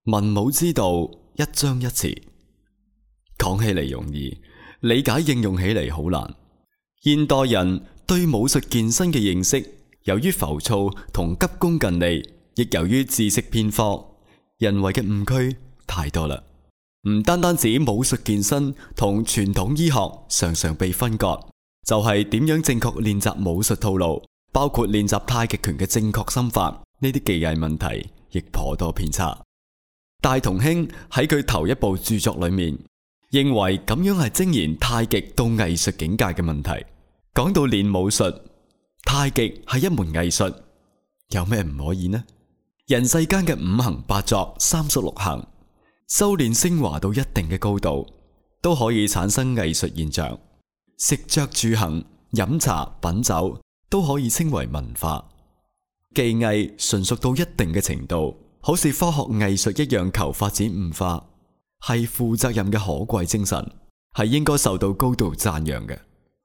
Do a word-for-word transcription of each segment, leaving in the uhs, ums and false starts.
文武之道，一章一詞，講起嚟容易，理解應用起嚟好難。現代人對武術健身嘅認識，由於浮躁同急功近利，亦由於知識偏科，人為嘅誤區太多啦。唔單單指武術健身同傳統醫學常常被分割，就係點樣正確練習武術套路，包括練習太極拳嘅正確心法，呢啲技藝問題亦頗多偏差。大同興喺佢頭一部著作裏面，認為咁樣係精研太極到藝術境界嘅問題。講到練武術，太極係一門藝術，有咩唔可以呢？人世間嘅五行八作、三十六行，修煉升華到一定嘅高度，都可以產生藝術現象。食着住行、飲茶品酒，都可以稱為文化。技藝純熟到一定嘅程度，好似科學藝術一樣求發展悟化，係負責任嘅可貴精神，係應該受到高度讚揚嘅。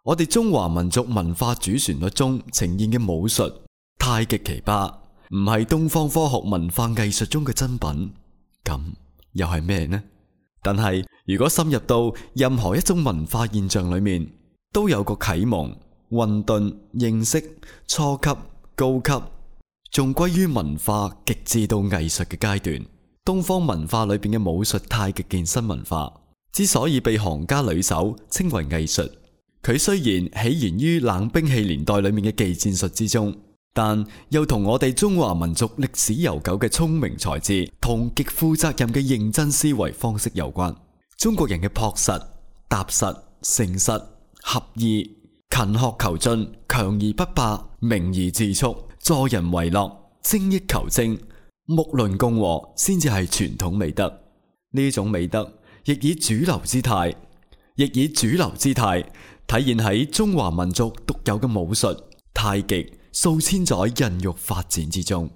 我哋中華民族文化主旋律中呈現嘅武術太極奇葩，唔係東方科學文化藝術中嘅真品，咁又係咩呢？但係如果深入到任何一種文化現象裏面，都有個啟蒙、混沌、認識、初級、高級，仲歸於文化極致到藝術嘅階段。東方文化裏邊嘅武術太極健身文化之所以被行家裏手稱為藝術，佢雖然起源於冷兵器年代裏面嘅技戰術之中，但又同我哋中華民族歷史悠久嘅聰明才智同極負責任嘅認真思維方式有關。中國人嘅樸實、踏實、誠實、合意、勤學求進、強而不霸、明而自束、助人為樂、精益求精、睦鄰共和，先至係傳統美德。呢種美德亦以主流姿態，亦以主流姿態體現喺中華民族獨有嘅武術太極數千載孕育發展之中。